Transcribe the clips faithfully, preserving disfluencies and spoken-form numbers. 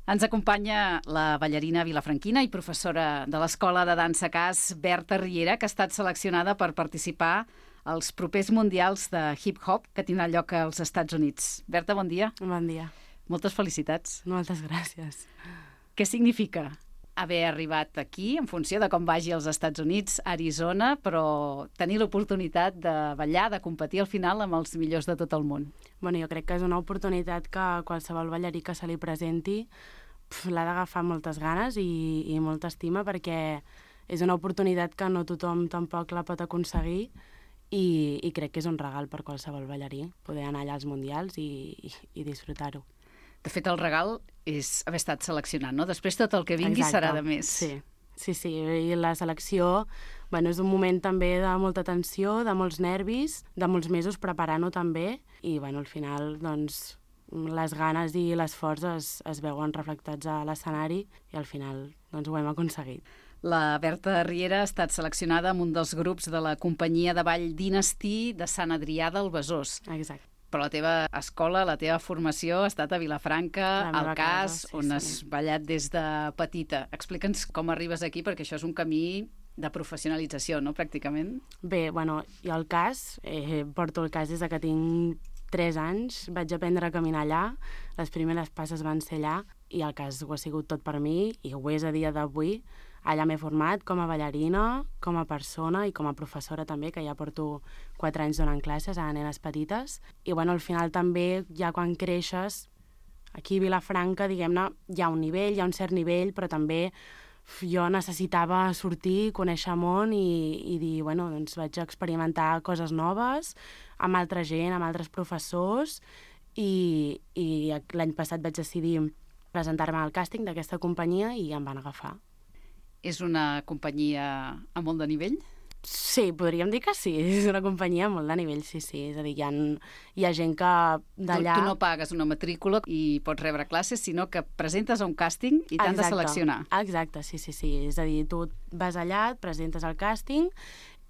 Ens acompanya la ballarina vilafranquina i professora de l'Escola de Dansa Cas, Berta Riera, que ha estat seleccionada per participar als propers mundials de hip-hop que tindran lloc als Estats Units. Berta, bon dia. Bon dia. Moltes felicitats. Moltes gràcies. Què significa haver arribat aquí en funció de com vagi als Estats Units, a Arizona, però tenir l'oportunitat de ballar, de competir al final amb els millors de tot el món? Bueno, jo crec que és una oportunitat que qualsevol ballarí que se li presenti l'ha d'agafar amb moltes ganes i, i molta estima, perquè és una oportunitat que no tothom tampoc la pot aconseguir i, i crec que és un regal per qualsevol ballarí poder anar allà als mundials i, i, i disfrutar-ho. De fet, el regal és haver estat seleccionat, no? Després tot el que vingui Exacte. Serà de més. Sí, sí, sí. I la selecció bueno, és un moment també de molta tensió, de molts nervis, de molts mesos preparant-ho també, i bueno, al final doncs, les ganes i l'esforç es, es veuen reflectats a l'escenari i al final doncs, ho hem aconseguit. La Berta Riera ha estat seleccionada amb un dels grups de la companyia de ball Dynasty de Sant Adrià del Besòs. Exacte. Però la teva escola, la teva formació ha estat a Vilafranca, al Cas, casa, sí, on sí. has ballat des de petita. Explica'ns com arribes aquí, perquè això és un camí de professionalització, no?, pràcticament. Bé, bueno, jo al Cas, eh, porto el Cas des de que tinc tres anys, vaig aprendre a caminar allà, les primeres passes van ser allà, i el Cas ho ha sigut tot per mi, i ho és a dia d'avui. Allà m'he format com a ballarina, com a persona i com a professora també, que ja porto quatre anys donant classes a nenes petites. I bueno, al final també, ja quan creixes, aquí a Vilafranca, diguem-ne, hi ha un nivell, hi ha un cert nivell, però també jo necessitava sortir, conèixer món i, i dir, bueno, doncs vaig experimentar coses noves amb altra gent, amb altres professors, i, i l'any passat vaig decidir presentar-me al càsting d'aquesta companyia i em van agafar. És una companyia a molt de nivell? Sí, podríem dir que sí. És una companyia a molt de nivell, sí, sí. És a dir, hi ha, hi ha gent que d'allà... Tu, tu no pagues una matrícula i pots rebre classes, sinó que presentes a un càsting i t'han de seleccionar. Exacte, sí, sí, sí. És a dir, tu vas allà, et presentes al càsting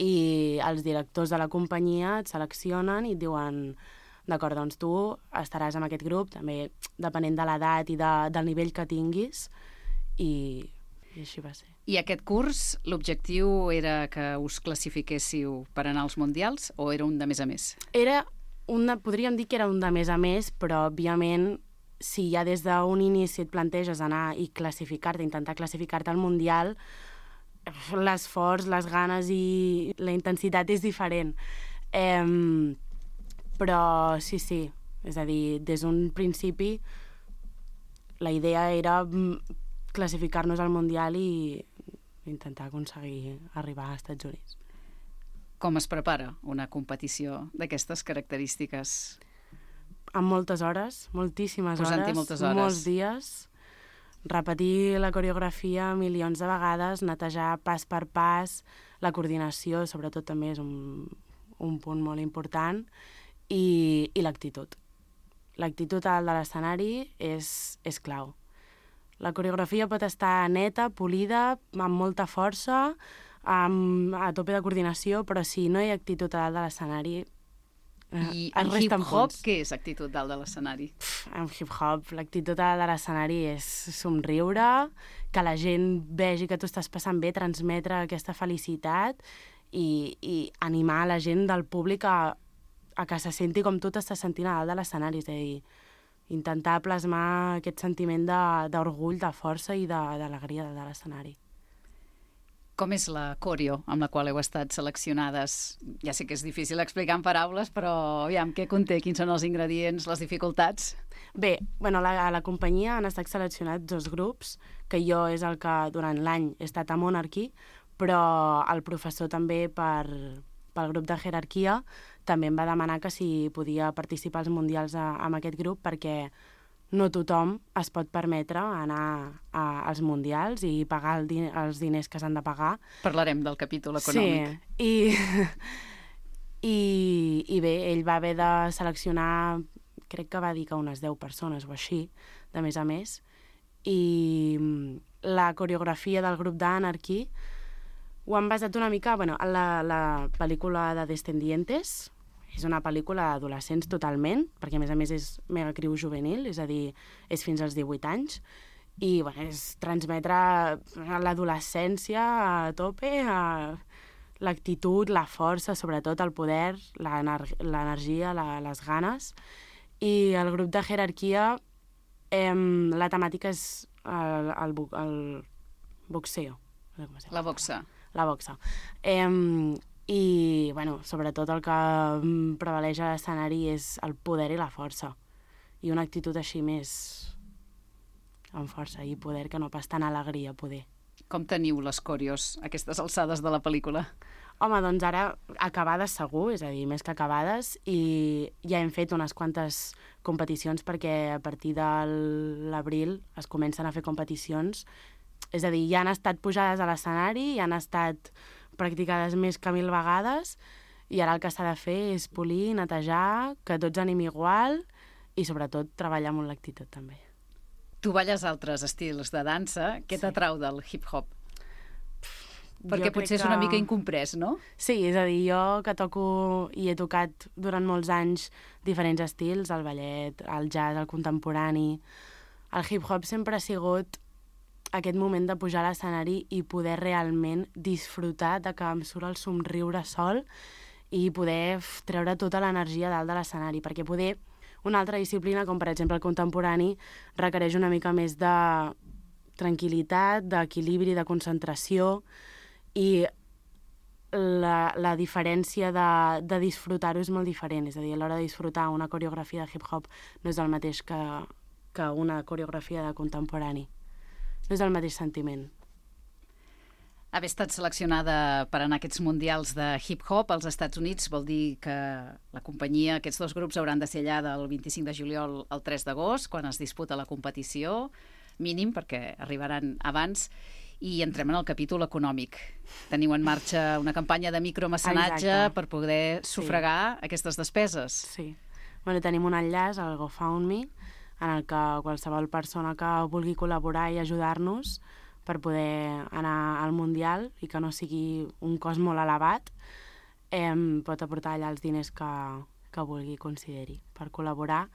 i els directors de la companyia et seleccionen i et diuen d'acord, doncs tu estaràs en aquest grup, també depenent de l'edat i de, del nivell que tinguis, i, i així va ser. I aquest curs, l'objectiu era que us classifiquéssiu per anar als mundials o era un de més a més? Era un de, podríem dir que era un de més a més, però òbviament si ja des d'un inici et planteges anar i classificar-te, intentar classificar-te al mundial, l'esforç, les ganes i la intensitat és diferent. Eh, però sí, sí, és a dir, des d'un principi la idea era classificar-nos al mundial i intentar aconseguir arribar als Estats Units. Com es prepara una competició d'aquestes característiques? Amb moltes hores, moltíssimes Posant-hi hores, moltes hores. molts dies, repetir la coreografia milions de vegades, netejar pas per pas, la coordinació, sobretot també és un, un punt molt important, i, i l'actitud. L'actitud al de l'escenari és, és clau. La coreografia pot estar neta, polida, amb molta força, amb, a tope de coordinació, però si no hi ha actitud a dalt de l'escenari, eh, I es en resten hip-hop, punts. què és actitud dalt de l'escenari? En hip-hop, l'actitud a dalt de l'escenari és somriure, que la gent vegi que tu estàs passant bé, transmetre aquesta felicitat i, i animar la gent del públic a, a que se senti com tu t'estàs sentint a dalt de l'escenari, és a dir, intentar plasmar aquest sentiment d'orgull, de, de força i d'alegria de, de l'escenari. Com és la coreo amb la qual heu estat seleccionades? Ja sé que és difícil explicar en paraules, però aviam, què conté? Quins són els ingredients, les dificultats? Bé, bueno, la, a la companyia han estat seleccionats dos grups, que jo és el que durant l'any he estat a Monarchy, però el professor també per, pel grup de jerarquia també em va demanar que si podia participar als mundials a, amb aquest grup, perquè no tothom es pot permetre anar a, als mundials i pagar el din els diners que s'han de pagar. Parlarem del capítol econòmic. Sí, i, i, i bé, ell va haver de seleccionar, crec que va dir que unes deu persones o així, de més a més, i la coreografia del grup d'Anarchy ho han basat una mica, bueno, en la, la pel·lícula de Descendientes. És una pel·lícula d'adolescents totalment, perquè a més a més és megacriu juvenil, és a dir, és fins als divuit anys, i bueno, és transmetre l'adolescència a tope, a l'actitud, la força, sobretot el poder, l'energia, la, les ganes. I el grup de jerarquia, eh, la temàtica és el, el, el boxeo. La boxa. La boxa. Eh, I, bueno, sobretot el que prevaleix a l'escenari és el poder i la força. I una actitud així més amb força i poder, que no pas tan alegria, poder. Com teniu les coreos a aquestes alçades de la pel·lícula? Home, doncs ara acabades segur, és a dir, més que acabades, i ja hem fet unes quantes competicions perquè a partir de l'abril es comencen a fer competicions. És a dir, ja han estat pujades a l'escenari, ja han estat practicades més que mil vegades, i ara el que s'ha de fer és polir, netejar, que tots anem igual i sobretot treballar amb l'actitud també. Tu balles altres estils de dansa. Què t'atrau del hip-hop? Perquè potser és una mica incomprès, no? Sí, és a dir, jo que toco i he tocat durant molts anys diferents estils, el ballet, el jazz, el contemporani. El hip-hop sempre ha sigut aquest moment de pujar a l'escenari i poder realment disfrutar de que em surt el somriure sol i poder treure tota l'energia dalt de l'escenari, perquè poder una altra disciplina, com per exemple el contemporani, requereix una mica més de tranquil·litat, d'equilibri, de concentració, i la, la diferència de, de disfrutar-ho és molt diferent. És a dir, a l'hora de disfrutar una coreografia de hip-hop no és el mateix que, que una coreografia de contemporani. No és el mateix sentiment. Haver estat seleccionada per anar a aquests mundials de hip-hop als Estats Units vol dir que la companyia, aquests dos grups, hauran de ser allà del vint-i-cinc de juliol al tres d'agost, quan es disputa la competició, mínim, perquè arribaran abans. I entrem en el capítol econòmic. Teniu en marxa una campanya de micromecenatge Exacte. per poder sufragar sí. aquestes despeses. Sí. Bueno, tenim un enllaç al GoFundMe en el que qualsevol persona que vulgui col·laborar i ajudar-nos per poder anar al Mundial i que no sigui un cost molt elevat, eh, pot aportar allà els diners que, que vulgui consideri per col·laborar.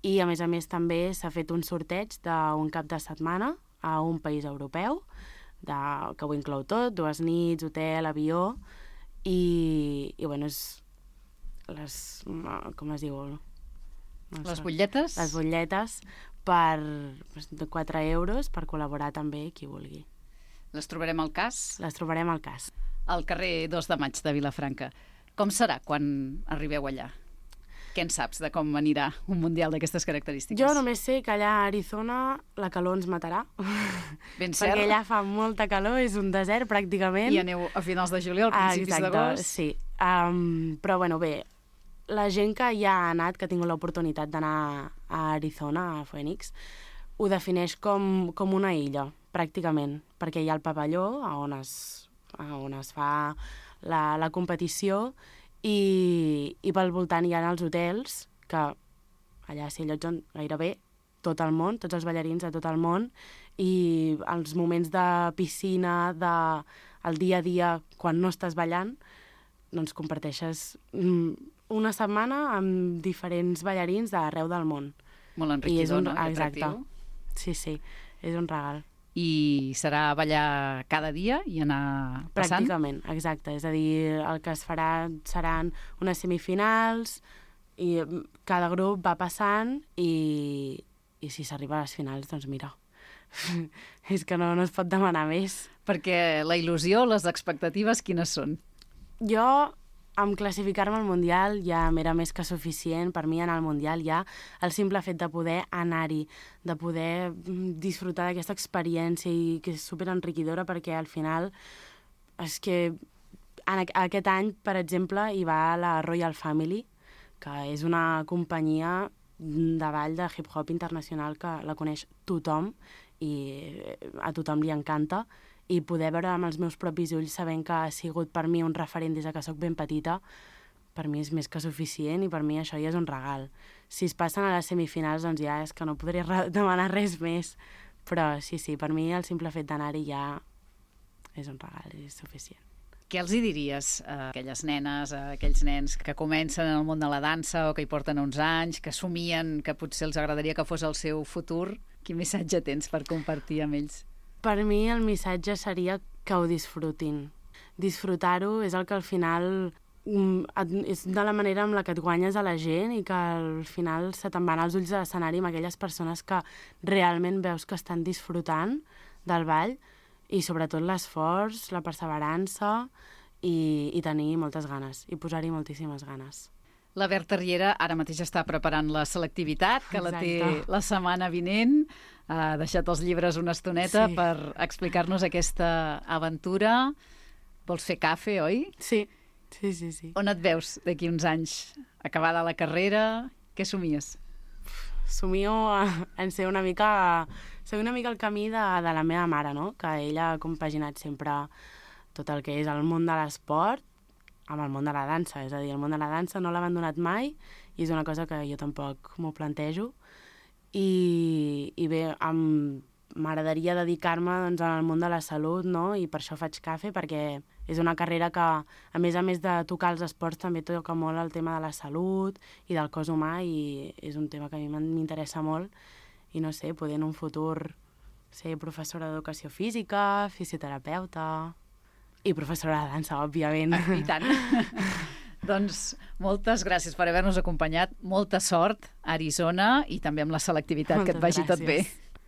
I, a més a més, també s'ha fet un sorteig d'un cap de setmana a un país europeu, de, que ho inclou tot, dues nits, hotel, avió, i, i bueno, és les, com es diu? No les butlletes? Les butlletes per de quatre euros per col·laborar també qui vulgui. Les trobarem al CAS? Les trobarem al CAS. Al carrer dos de maig de Vilafranca. Com serà quan arribeu allà? Què en saps de com anirà un mundial d'aquestes característiques? Jo només sé que allà a Arizona la calor ens matarà. Ben cert. Perquè allà fa molta calor, és un desert pràcticament. I aneu a finals de juliol, principis d'agost. Sí. Um, però bueno, bé, la gent que ja ha anat, que ha tingut l'oportunitat d'anar a Arizona, a Phoenix, ho defineix com, com una illa, pràcticament, perquè hi ha el pavelló on es, on es fa la, la competició i, i pel voltant hi ha els hotels, que allà s'hi allotgen gairebé tot el món, tots els ballarins de tot el món, i els moments de piscina, de, el dia a dia, quan no estàs ballant, doncs comparteixes una setmana amb diferents ballarins d'arreu del món. Molt enriquidor, un, no? Exacte. Sí, sí, és un regal. I serà ballar cada dia i anar passant? Pràcticament, exacte. És a dir, el que es farà seran unes semifinals i cada grup va passant i, i si s'arriba a les finals, doncs mira, és que no, no es pot demanar més. Perquè la il·lusió, les expectatives, quines són? Jo, amb classificar-me al Mundial ja m'era més que suficient. Per mi anar al Mundial ja el simple fet de poder anar-hi, de poder disfrutar d'aquesta experiència i que és superenriquidora, perquè al final és que en aquest any, per exemple, hi va la Royal Family, que és una companyia de ball de hip-hop internacional que la coneix tothom i a tothom li encanta, i poder veure amb els meus propis ulls sabent que ha sigut per mi un referent des que sóc ben petita, per mi és més que suficient i per mi això ja és un regal. Si es passen a les semifinals, doncs ja és que no podré demanar res més, però sí, sí, per mi el simple fet d'anar-hi ja és un regal, és suficient. Què els hi diries a aquelles nenes, a aquells nens que comencen en el món de la dansa o que hi porten uns anys, que somien que potser els agradaria que fos el seu futur? Quin missatge tens per compartir amb ells? Per mi el missatge seria que ho disfrutin. Disfrutar-ho és el que al final és de la manera amb la que et guanyes a la gent i que al final se te'n van els ulls de l'escenari amb aquelles persones que realment veus que estan disfrutant del ball, i sobretot l'esforç, la perseverança i, i tenir moltes ganes, i posar-hi moltíssimes ganes. La Berta Riera ara mateix està preparant la selectivitat, que la té Exacte. la setmana vinent. Ha deixat els llibres una estoneta Sí. per explicar-nos aquesta aventura. Vols fer cafè, oi? Sí, sí, sí. sí. On et veus d'aquí uns anys? Acabada la carrera? Què somies? Somio en ser una mica... Ser una mica el camí de, de la meva mare, no? Que ella ha compaginat sempre tot el que és el món de l'esport amb el món de la dansa. És a dir, el món de la dansa no l'ha abandonat mai i és una cosa que jo tampoc m'ho plantejo. I, i bé, amb... m'agradaria dedicar-me doncs, al món de la salut, no? I per això faig cafè, perquè és una carrera que, a més a més de tocar els esports, també toca molt el tema de la salut i del cos humà, i és un tema que a mi m'interessa molt. I no sé, poder en un futur ser professora d'educació física, fisioterapeuta i professora de dansa, òbviament. Ah, i tant. Doncs moltes gràcies per haver-nos acompanyat. Molta sort a Arizona i també amb la selectivitat, Moltes que et vagi gràcies. tot bé.